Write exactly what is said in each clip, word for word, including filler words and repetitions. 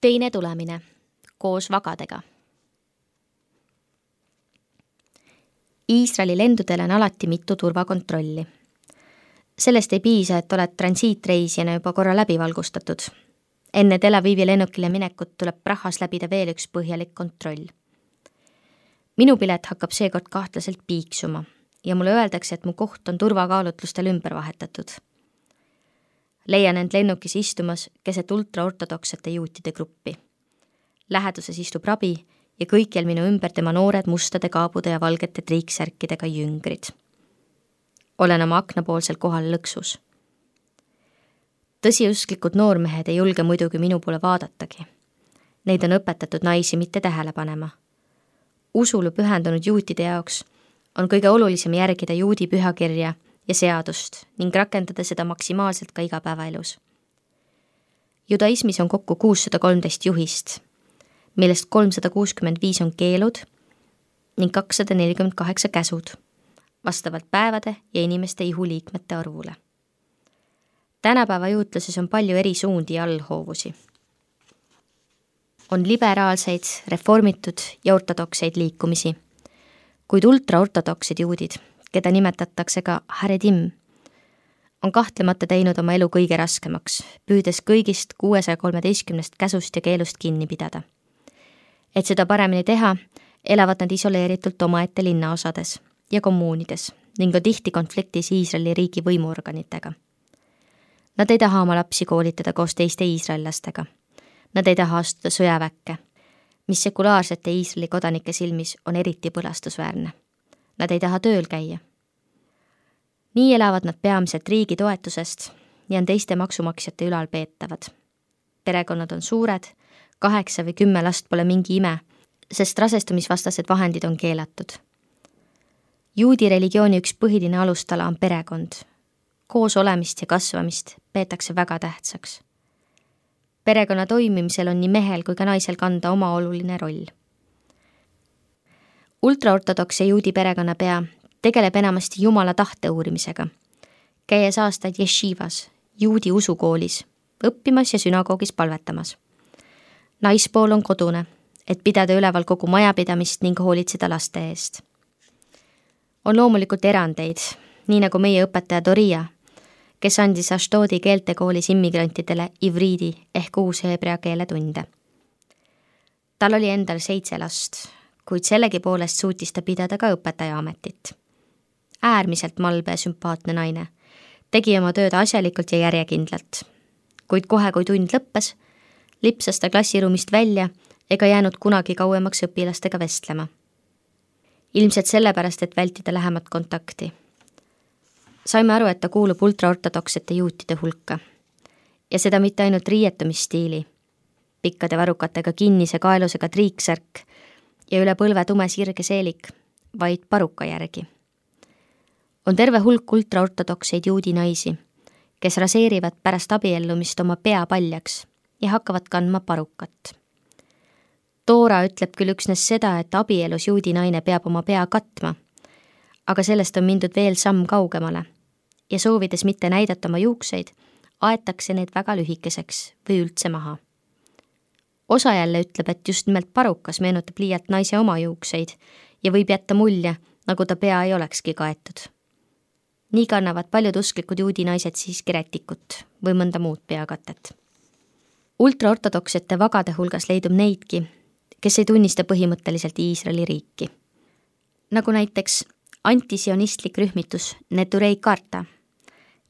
Teine tulemine koos vagadega. Iisraeli lendudel on alati mitu turvakontrolli. Sellest ei piisa, et oled transiitreisijana juba korra läbi valgustatud. Enne Tel Avivi lennukile minekut tuleb Prahas läbida veel üks põhjalik kontroll. Minu pilet hakkab seekord kahtlaselt piiksuma ja mulle öeldakse, et mu koht on turvakaalutlustel ümber vahetatud. Leian end lennukis istumas keset ultraortodoksete juutide gruppi. Läheduses istub rabi ja kõikjal minu ümber tema noored mustade kaabude ja valgete triiksärkidega jüngrid. Olen oma aknapoolsel kohal lõksus. Tõsiusklikud noormehed ei julge muidugi minu poole vaadatagi. Neid on õpetatud naisi mitte tähele panema. Usule pühendunud juutide jaoks on kõige olulisem järgida juudi pühakirja ja seadust ning rakendada seda maksimaalselt ka igapäevaelus. Judaismis on kokku kuussada kolmteist juhist, millest kolmsada kuuskümmend viis on keelud ning kakssada nelikümmend kaheksa käsud, vastavalt päevade ja inimeste ihuliikmete arvule. Tänapäeva juutluses on palju eri suundi ja allhoovusi. On liberaalseid, reformitud ja ortodokseid liikumisi, kuid ultraortodoksid juudid, keda nimetatakse ka haredim, on kahtlemata teinud oma elu kõige raskemaks, püüdes kõigist kuuesaja kolmeteistkümnest käsust ja keelust kinni pidada. Et seda paremini teha, elavad nad isoleeritult omaette linnaosades ja kommuunides ning on tihti konfliktis Iisraeli riigi võimuorganitega. Nad ei taha oma lapsi koolitada koos teiste iisraellastega. Nad ei taha astuda sõjaväkke, mis sekulaarsete Iisraeli kodanike silmis on eriti põlastusväärne. Nad ei taha tööl käia. Nii elavad nad peamiselt riigi toetusest ja on teiste maksumaksjate ülalpeetavad. Perekonnad on suured, kaheksa või kümme last pole mingi ime, sest rasestumisvastased vahendid on keelatud. Juudi religiooni üks põhiline alustala on perekond. Koos olemist ja kasvamist peetakse väga tähtsaks. Perekonna toimimisel on nii mehel kui ka naisel kanda oma oluline roll. Ultraortodoks ja juudi perekonnapea tegeleb enamasti Jumala tahte uurimisega, käies aastaid jeshivas, juudi usukoolis, õppimas ja sünagoogis palvetamas. Naispool on kodune, et pidada üleval kogu majapidamist ning hoolitseda laste eest. On loomulikult erandeid, nii nagu meie õpetaja Doria, kes andis Ashdodi keeltekoolis immigrantidele ivriidi ehk uus heebrea keele tunde. Tal oli endal seitse last, kuid sellegi poolest suutis ta pidada ka õpetaja ametit. Äärmiselt malbe ja sümpaatne naine, tegi oma tööd asjalikult ja järjekindlalt, kuid kohe kui tund lõppes, lipsas ta klassiruumist välja ega jäänud kunagi kauemaks õpilastega vestlema. Ilmselt sellepärast, et vältida lähemat kontakti. Saime aru, et ta kuulub ultraortodoksete juutide hulka. Ja seda mitte ainult riietumisstiili, pikkade varrukatega kinnise kaelusega triiksärk ja üle põlve tume sirge seelik, vaid paruka järgi. On terve hulk ultraortodokseid juudi naisi, kes raseerivad pärast abiellumist oma pea paljaks ja hakkavad kandma parukat. Toora ütleb küll üksnes seda, et abielus juudi naine peab oma pea katma, aga sellest on mindud veel samm kaugemale ja soovides mitte näidata oma juukseid, aetakse need väga lühikeseks või üldse maha. Osa jälle ütleb, et just nimelt parukas meenutab liialt naise oma juukseid ja võib jätta mulje, nagu ta pea ei olekski kaetud. Nii kannavad paljud usklikud juudi naised siiski rätikut või mõnda muud peakatet. Ultraortodoksete vagade hulgas leidub neidki, kes ei tunnista põhimõtteliselt Iisraeli riiki. Nagu näiteks antisionistlik rühmitus Neturei Karta,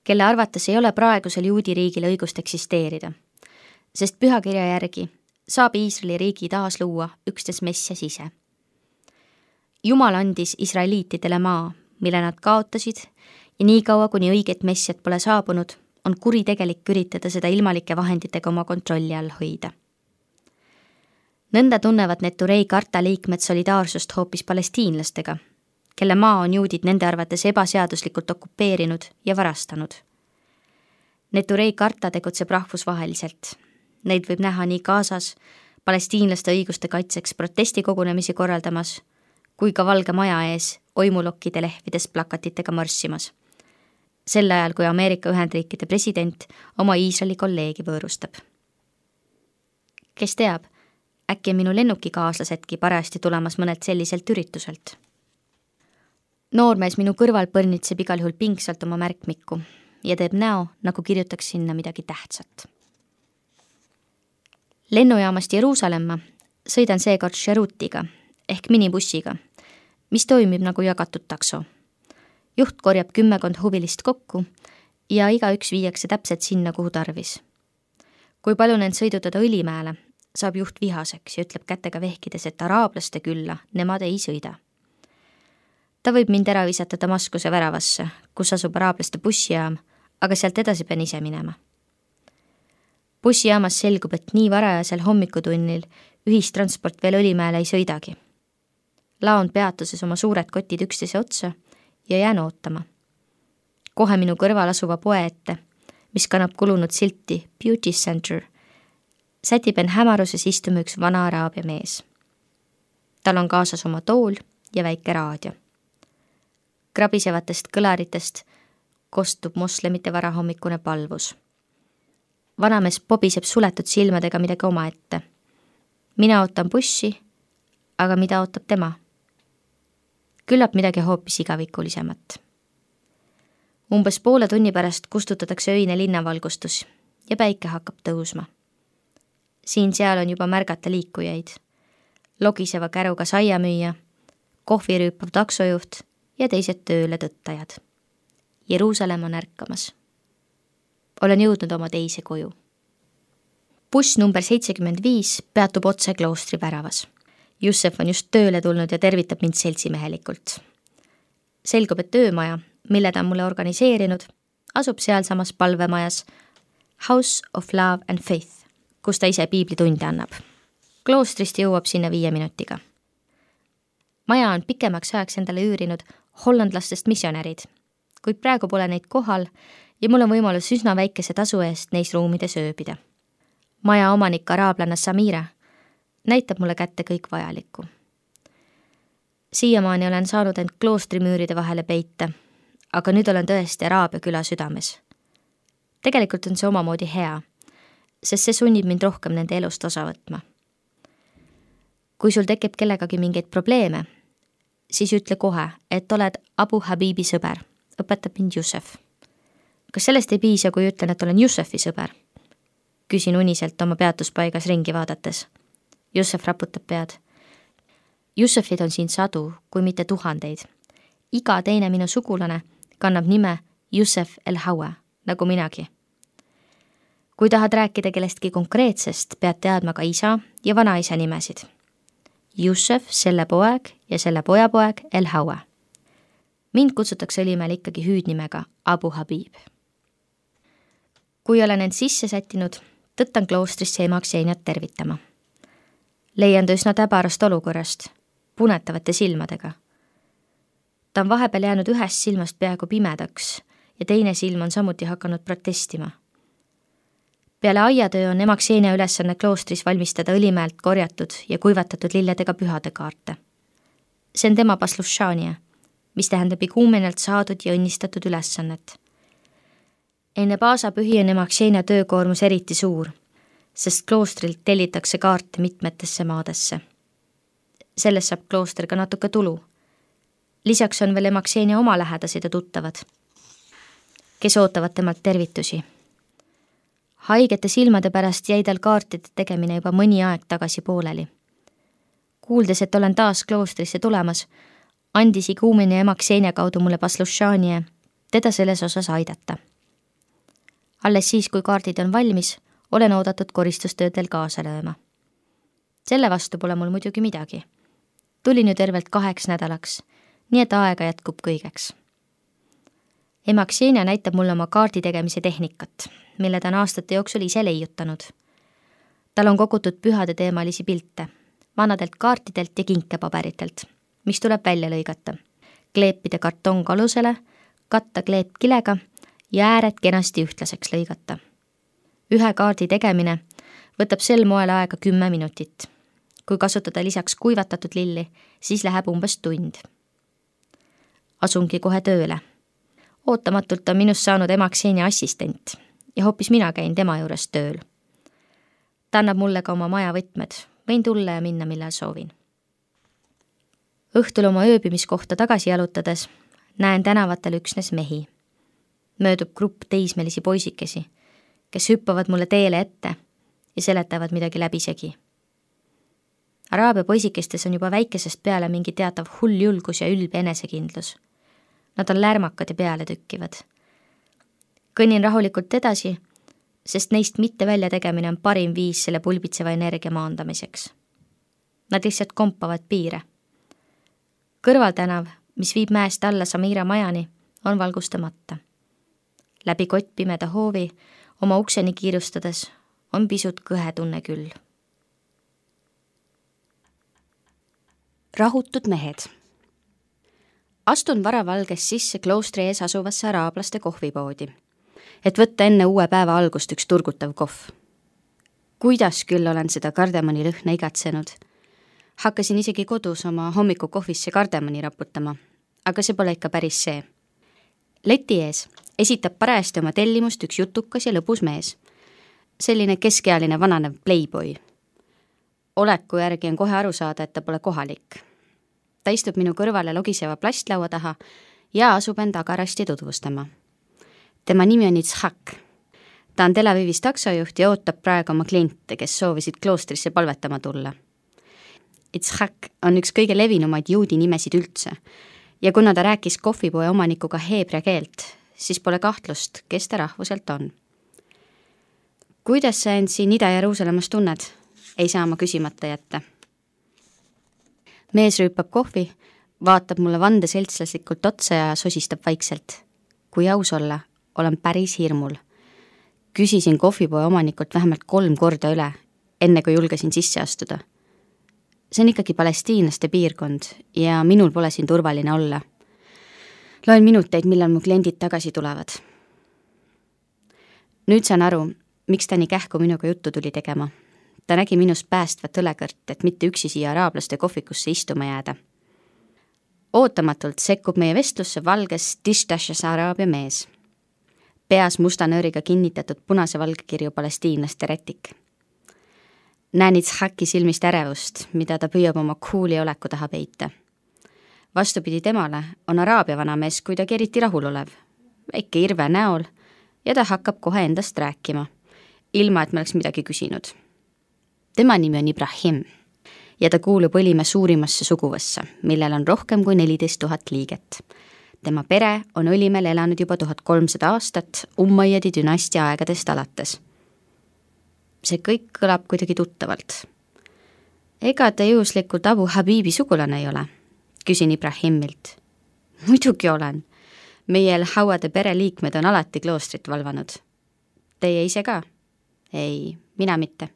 kelle arvates ei ole praegusel juudi riigil õigust eksisteerida, sest pühakirja järgi saab Iisraeli riigi taas luua üksnes Messias ise. Jumal andis israeliitidele maa, mille nad kaotasid ja nii kaua, kuni õiget Messiat pole saabunud, on kuritegelik üritada seda ilmalike vahenditega oma kontrolli all hoida. Nõnda tunnevad Neturei Karta liikmed solidaarsust hoopis palestiinlastega, kelle maa on juudid nende arvates ebaseaduslikult okupeerinud ja varastanud. Neturei Karta tegutseb rahvusvaheliselt. Neid võib näha nii Gazas, palestiinlaste õiguste kaitseks protestikogunemisi korraldamas, kui ka Valge Maja ees oimulokkide lehvides plakatitega marssimas. Sel ajal, kui Ameerika Ühendriikide president oma Iisraeli kolleegi võõrustab. Kes teab, äkki on minu lennukikaaslasedki parajasti tulemas mõnelt selliselt ürituselt. Noormees minu kõrval põrnitseb igal juhul pingsalt oma märkmikku ja teeb näo, nagu kirjutaks sinna midagi tähtsat. Lennujaamast Jeruusalemma sõidan seekord Sherutiga ehk minibussiga, mis toimib nagu jagatud takso. Juht korjab kümmekond huvilist kokku ja igaüks viiakse täpselt sinna, kuhu tarvis. Kui palun end sõidutada Õlimäele, saab juht vihaseks ja ütleb kätega vehkides, et araablaste külla nemad ei sõida. Ta võib mind ära visata Damaskuse väravasse, kus asub araablaste bussijaam, aga sealt edasi pean ise minema. Bussijaamas selgub, et nii varajasel hommikutunnil ühistransport veel Õlimäele ei sõidagi. Laon peatuses oma suured kotid üksteise otsa ja jään ootama. Kohe minu kõrval asuva poe ette, mis kannab kulunud silti Beauty Center, sätib en hämaruses istuma üks vana araabia mees. Tal on kaasas oma tool ja väike raadio. Krabisevatest kõlaritest kostub moslemite varahommikune palvus. Vanamees pobiseb suletud silmadega midagi oma ette. Mina ootan bussi, aga mida ootab tema? Küllap midagi hoopis igavikulisemat. Umbes poole tunni pärast kustutatakse öine linnavalgustus ja päike hakkab tõusma. Siin-seal on juba märgata liikujaid. Logiseva käruga saiamüüja, kohvirüüpav taksojuht ja teised tööle tõttajad. Jeruusalemm on ärkamas. Olen jõudnud oma teise koju. Buss number seitsekümmend viis peatub otse kloostri väravas. Jussef on just tööle tulnud ja tervitab mind seltsimehelikult. Selgub, et töömaja, mille ta on mulle organiseerinud, asub sealsamas palvemajas House of Love and Faith, kus ta ise piiblitunde annab. Kloostrist jõuab sinna viie minutiga. Maja on pikemaks ajaks endale üürinud hollandlastest missionärid, kuid praegu pole neid kohal ja mul on võimalus üsna väikese tasu eest neis ruumides ööbida. Maja omanik araablanna Samira näitab mulle kätte kõik vajalikku. Siiamaani olen saanud end kloostrimüüride vahele peita, aga nüüd olen tõesti Araabia küla südames. Tegelikult on see omamoodi hea, sest see sunnib mind rohkem nende elust osa võtma. Kui sul tekib kellegagi mingeid probleeme, siis ütle kohe, et oled Abu Habibi sõber, õpetab mind Jussef. Kas sellest ei piisa, kui ütlen, et olen Jussefi sõber? Küsin uniselt oma peatuspaigas ringi vaadates. Jussef raputab pead. Jussefid on siin sadu, kui mitte tuhandeid. Iga teine minu sugulane kannab nime Jussef el-Hawa, nagu minagi. Kui tahad rääkida kellestki konkreetsest, pead teadma ka isa ja vanaisa nimesid. Jussef, selle poeg ja selle pojapoeg el-Hawa. Mind kutsutakse Õlimäel ikkagi hüüdnimega Abu Habib. Kui olen end sisse sättinud, tõttan kloostrisse ema Kseniat tervitama. Leian ta üsna täbarast olukorrast, punetavate silmadega. Ta on vahepeal jäänud ühest silmast peaaegu pimedaks ja teine silm on samuti hakanud protestima. Peale aiatöö on ema Ksenia ülesanne kloostris valmistada Õlimäelt korjatud ja kuivatatud lilledega pühade kaarte. See on tema paslušania, mis tähendab iguumenelt saadud ja õnnistatud ülesannet. Enne paasapühi on ema Ksenia töökoormus eriti suur, sest kloostrilt tellitakse kaarte mitmetesse maadesse. Sellest saab klooster ka natuke tulu. Lisaks on veel ema Ksenia oma lähedased ja tuttavad, kes ootavad temalt tervitusi. Haigete silmade pärast jäi tal kaartide tegemine juba mõni aeg tagasi pooleli. Kuuldes, et olen taas kloostrisse tulemas, andis iguumeni ema Ksenia kaudu mulle paslušanie, teda selles osas aidata. Alles siis, kui kaardid on valmis, olen oodatud koristustöödel kaasa lööma. Selle vastu pole mul muidugi midagi. Tulin ju tervelt kaheks nädalaks, nii et aega jätkub kõigeks. Ema Ksenia näitab mulle oma kaardi tegemise tehnikat, mille ta on aastate jooksul ise leiutanud. Tal on kogutud pühade teemalisi pilte, vanadelt kaartidelt ja kinkepaberitelt, mis tuleb välja lõigata, kleepida kartongalusele, katta kleep kilega ja ääred kenasti ühtlaseks lõigata. Ühe kaardi tegemine võtab sel moel aega kümme minutit. Kui kasutada lisaks kuivatatud lilli, siis läheb umbes tund. Asungi kohe tööle. Ootamatult on minust saanud ema Ksenia assistent ja hoopis mina käin tema juures tööl. ta annab mulle ka oma maja võtmed, võin tulla ja minna, millal soovin. Õhtul oma ööbimiskohta tagasi jalutades näen tänavatel üksnes mehi. Möödub grupp teismelisi poisikesi, kes hüppavad mulle teele ette ja seletavad midagi läbisegi. Araabia poisikestes on juba väikesest peale mingi teatav hull julgus ja ülbe enesekindlus. Nad on lärmakad ja peale tükkivad. Kõnnin rahulikult edasi, sest neist mitte välja tegemine on parim viis selle pulbitseva energia maandamiseks. Nad lihtsalt kompavad piire. Kõrvaltänav, mis viib mäest alla Samira majani, on valgustamata. Läbi kottpimeda hoovi oma ukseni kiirustades on pisut kõhe tunne küll. Rahutud mehed. Astun varavalges sisse kloostri ees asuvasse araablaste kohvipoodi, et võtta enne uue päeva algust üks turgutav kohv. Kuidas küll olen seda kardemoni lõhna igatsenud. Hakkasin isegi kodus oma hommikukohvisse kardemoni raputama, aga see pole ikka päris see. Leti ees esitab parajasti oma tellimust üks jutukas ja lõbus mees. Selline keskealine vananev playboy. Oleku järgi on kohe aru saada, et ta pole kohalik. Ta istub minu kõrvale logiseva plastlaua taha ja asub end agarasti tutvustama. Tema nimi on Itzhak. Ta on Tel Avivis taksojuht ja ootab praegu oma kliente, kes soovisid kloostrisse palvetama tulla. Itzhak on üks kõige levinumaid juudi nimesid üldse ja kuna ta rääkis kohvipoe omanikuga heebrea keelt, siis pole kahtlust, kes ta rahvuselt on. Kuidas sa end siin Ida-Jeruusalemmas tunned? Ei saa ma küsimata jätta. Mees rüüpab kohvi, vaatab mulle vandeseltslaslikult otsa ja sosistab vaikselt. Kui aus olla, olen päris hirmul. Küsisin kohvipoe omanikult vähemalt kolm korda üle, enne kui julgesin sisse astuda. See on ikkagi palestiinlaste piirkond ja minul pole siin turvaline olla. Loen minuteid, millal mu kliendid tagasi tulevad. Nüüd saan aru, miks ta nii kähku minuga juttu tuli tegema. Ta nägi minust päästvat õlekõrt, et mitte üksi siia araablaste kohvikusse istuma jääda. Ootamatult sekkub meie vestlusse valges Tishtashas araabia mees. Peas musta nööriga kinnitatud punase valgekirju palestiinlaste rätik. Näen Itzhaki silmist ärevust, mida ta püüab oma kuuli oleku taha peita. Vastupidi temale on araabia vanamees kuidagi eriti rahulolev, väike irve näol ja ta hakkab kohe endast rääkima, ilma et me oleks midagi küsinud. Tema nimi on Ibrahim ja ta kuulub Õlimäe suurimasse suguvõssa, millel on rohkem kui neliteist tuhat liiget. Tema pere on Õlimäel elanud juba tuhat kolmsada aastat Umayyadi dünastia aegadest alates. See kõik kõlab kuidagi tuttavalt. Ega ta juhuslikult Abu Habibi sugulane ei ole? Küsin Ibrahimilt. Muidugi olen. Meie El-Hauade pereliikmed on alati kloostrit valvanud. Teie ise ka? Ei, mina mitte.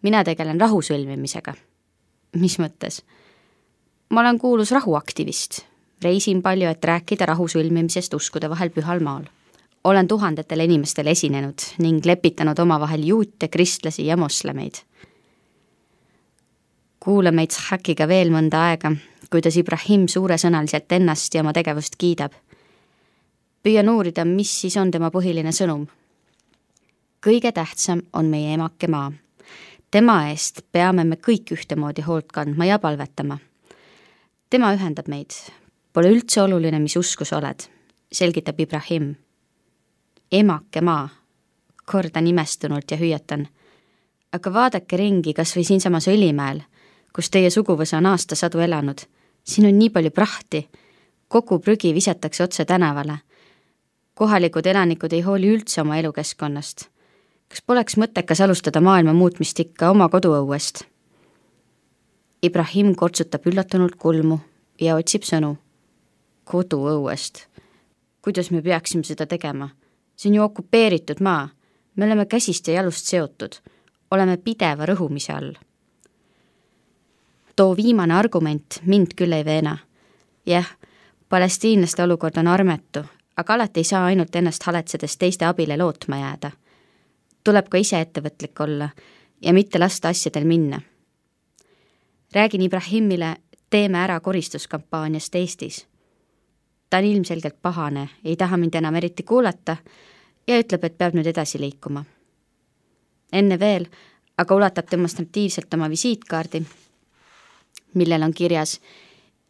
Mina tegelen rahu sõlmimisega. Mis mõttes? Ma olen kuulus rahuaktivist. Reisin palju, et rääkida rahu sõlmimisest uskude vahel pühal maal. Olen tuhandetele inimestele esinenud ning lepitanud omavahel juute, kristlasi ja moslemeid. Kuulame Itzhakiga veel mõnda aega, kuidas Ibrahim suuresõnaliselt ennast ja oma tegevust kiidab. Püüan uurida, mis siis on tema põhiline sõnum. Kõige tähtsam on meie emake maa. Tema eest peame me kõik ühtemoodi hoolt kandma ja palvetama. Tema ühendab meid. Pole üldse oluline, mis uskus oled, selgitab Ibrahim. Emake maa, kordan imestunult ja hüüatan. Aga vaadake ringi kas või siinsamas Õlimäel, kus teie suguvõsa on aastasadu elanud. Siin on nii palju prahti. Kogu prügi visatakse otse tänavale. Kohalikud elanikud ei hooli üldse oma elukeskkonnast. Kas poleks mõttekas alustada maailma muutmist ikka oma koduõuest? Ibrahim kortsutab üllatunult kulmu ja otsib sõnu. Koduõuest. Kuidas me peaksime seda tegema? See on ju okupeeritud maa. Me oleme käsist ja jalust seotud. Oleme pideva rõhumise all. Too viimane argument mind küll ei veena. Jah, palestiinlaste olukord on armetu, aga alati ei saa ainult ennast haletsedes teiste abile lootma jääda. Tuleb ka ise ettevõtlik olla ja mitte lasta asjadel minna. Räägin Ibrahimile, teeme ära koristuskampaaniast Eestis. Ta on ilmselgelt pahane, ei taha mind enam eriti kuulata ja ütleb, et peab nüüd edasi liikuma. Enne veel aga ulatab demonstratiivselt oma visiitkaardi, millel on kirjas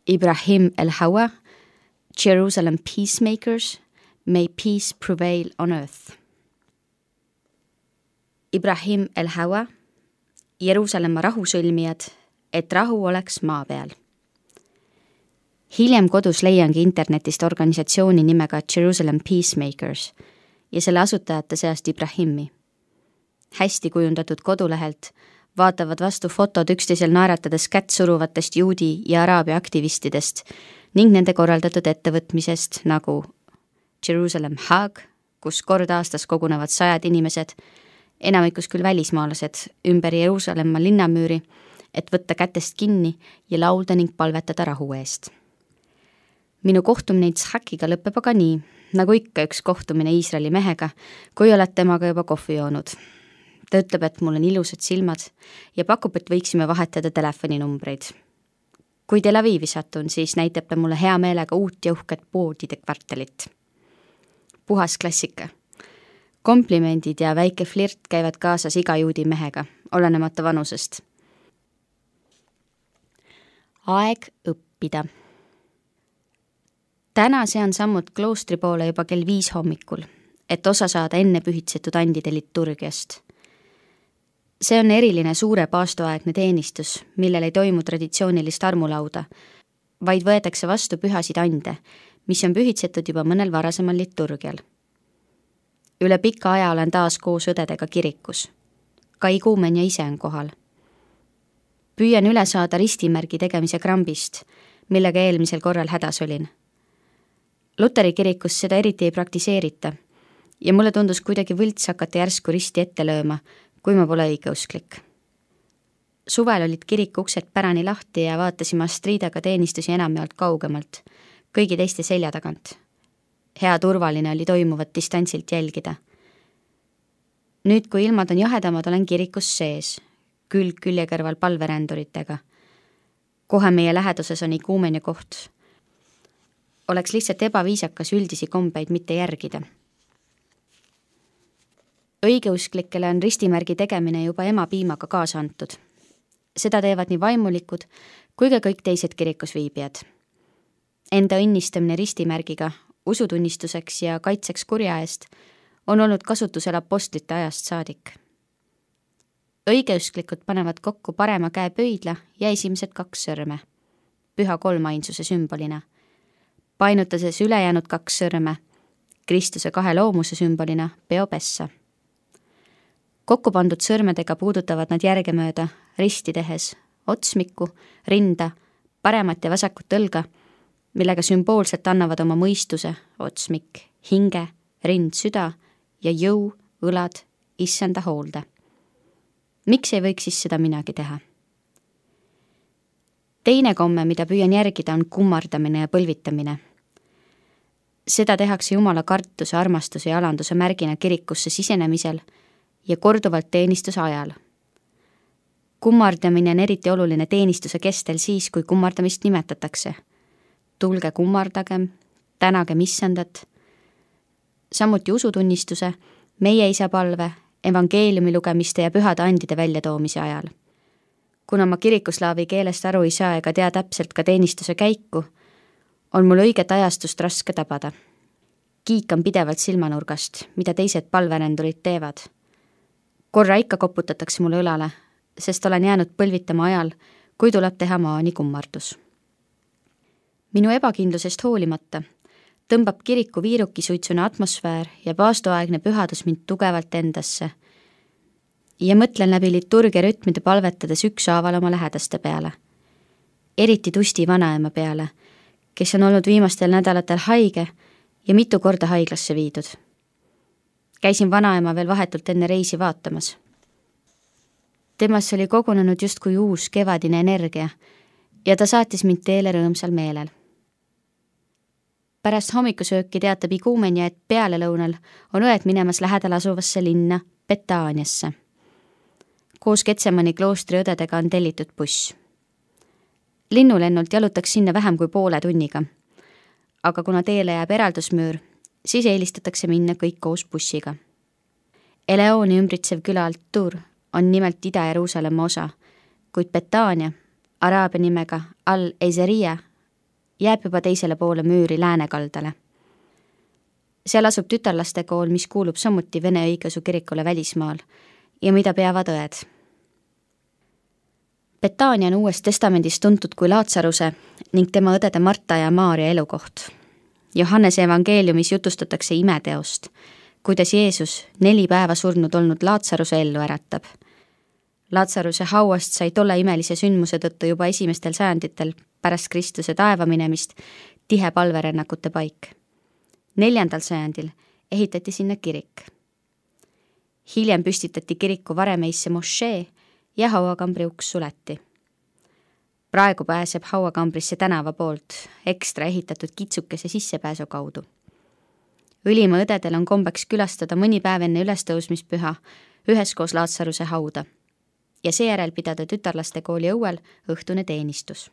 Ibrahim el-Hawa, Jerusalem Peacemakers, may peace prevail on earth. Ibrahim el-Hawa, Jeruusalemma rahusõlmijad, et rahu oleks maa peal. Hiljem kodus leiangi internetist organisatsiooni nimega Jerusalem Peacemakers ja selle asutajate seast Ibrahimi. Hästi kujundatud kodulehelt vaatavad vastu fotod üksteisel naeratades kätt suruvatest juudi ja araabia aktivistidest ning nende korraldatud ettevõtmisest nagu Jerusalem Haag, kus kord aastas kogunevad sajad inimesed, enamikus küll välismaalased, ümber Jeruusalemma linnamüüri, et võtta kätest kinni ja laulda ning palvetada rahu eest. Minu kohtumine Itzhakiga lõpeb aga nii, nagu ikka üks kohtumine Iisraeli mehega, kui oled temaga juba kohvi joonud. Ta ütleb, et mul on ilusad silmad ja pakub, et võiksime vahetada telefoninumbreid. Kui Tel Avivi satun, siis näitab ta mulle hea meelega uut ja uhket poodide kvartalit. Puhas klassika. Komplimendid ja väike flirt käivad kaasas iga juudi mehega, olenemata vanusest. Aeg õppida. Täna sean sammud kloostri poole juba kell viis hommikul, et osa saada enne pühitsetud andide liturgiast. See on eriline suure paastoaegne teenistus, millel ei toimu traditsioonilist armulauda, vaid võetakse vastu pühasid ande, mis on pühitsetud juba mõnel varasemal liturgial. Üle pika aja olen taas koos õdedega kirikus. Ka iguumen ja ise on kohal. Püüan üle saada ristimärgi tegemise krambist, millega eelmisel korral hädas olin. Luteri kirikus seda eriti ei praktiseerita ja mulle tundus kuidagi võlts hakata järsku risti ette lööma, kui ma pole õigeusklik. Suvel olid kiriku uksed pärani lahti ja vaatasime Astridaga teenistusi enamjaolt kaugemalt, kõigi teiste selja tagant. Hea turvaline oli toimuvat distantsilt jälgida. Nüüd, kui ilmad on jahedamad, olen kirikus sees, külg külje kõrval palveränduritega. Kohe meie läheduses on iguumenia koht. Oleks lihtsalt ebaviisakas üldisi kombeid mitte järgida. Õigeusklikele on ristimärgi tegemine juba ema piimaga kaasa antud. Seda teevad nii vaimulikud kui ka kõik teised kirikus viibijad. Enda õnnistamine ristimärgiga usutunnistuseks ja kaitseks kurja eest on olnud kasutusel apostlite ajast saadik. Õigeusklikud panevad kokku parema käe pöidla ja esimesed kaks sõrme, püha kolmainsuse sümbolina, painutades ülejäänud kaks sõrme, Kristuse kahe loomuse sümbolina peopessa. Kokku pandud sõrmedega puudutavad nad järgemööda risti tehes otsmikku, rinda, paremat ja vasakut õlga, millega sümboolselt annavad oma mõistuse, otsmik, hinge, rind, süda ja jõu, õlad, issanda hoolde. Miks ei võiks siis seda minagi teha? Teine komme, mida püüan järgida, on kummardamine ja põlvitamine. Seda tehakse Jumala kartuse, armastuse ja alanduse märgina kirikusse sisenemisel ja korduvalt teenistuse ajal. Kummardamine on eriti oluline teenistuse kestel siis, kui kummardamist nimetatakse. Tulge kummardagem, tänagem issandat, samuti usutunnistuse, meie isa palve, evangeeliumi lugemiste ja pühade andide väljatoomise ajal. Kuna ma kirikuslaavi keelest aru ei saa ega tea täpselt ka teenistuse käiku, on mul õiget ajastust raske tabada. Kiikan pidevalt silmanurgast, mida teised palverendurid teevad. Korra ikka koputatakse mulle õlale, sest olen jäänud põlvitama ajal, kui tuleb teha maani kummardus. Minu ebakindlusest hoolimata tõmbab kiriku viirukisuitsune atmosfäär ja paastoaegne pühadus mind tugevalt endasse ja mõtlen läbi liturgia rütmide palvetades ükshaaval oma lähedaste peale. Eriti Tusti vanaema peale, kes on olnud viimastel nädalatel haige ja mitu korda haiglasse viidud. Käisin vanaema veel vahetult enne reisi vaatamas. Temas oli kogunenud justkui uus kevadine energia ja ta saatis mind teele rõõmsal meelel. Pärast hommikusööki teatab iguumenia, et pealelõunal on õed minemas lähedal asuvasse linna Betaaniasse. Koos Getsemani kloostri õdedega on tellitud buss. Linnulennult jalutaks sinna vähem kui poole tunniga, aga kuna teele jääb eraldusmüür, siis eelistatakse minna kõik koos bussiga. Eleoni ümbritsev küla Altur on nimelt Ida-Jeruusalemma osa, kuid Betania, araabia nimega Al-Ezeria, jääb juba teisele poole müüri läänekaldale. Seal asub tütarlastekool, mis kuulub samuti Vene õigeusu kirikule välismaal ja mida peavad õed. Betania on Uues Testamendis tuntud kui Laatsaruse ning tema õdede Marta ja Maaria elukoht. Johannese evangeeliumis jutustatakse imeteost, kuidas Jeesus neli päeva surnud olnud Laatsaruse ellu äratab. Laatsaruse hauast sai tolle imelise sündmuse tõttu juba esimestel sajanditel pärast Kristuse taeva minemist tihe palverännakute paik. Neljandal sajandil ehitati sinna kirik. Hiljem püstitati kiriku varemeisse mošee ja hauakambri uks suleti. Praegu pääseb hauakambrisse tänava poolt ekstra ehitatud kitsukese sissepääsu kaudu. Õlimaa õdedel on kombeks külastada mõni päev enne ülestõusmispüha üheskoos Laatsaruse hauda ja seejärel pidada tütarlastekooli õuel õhtune teenistus.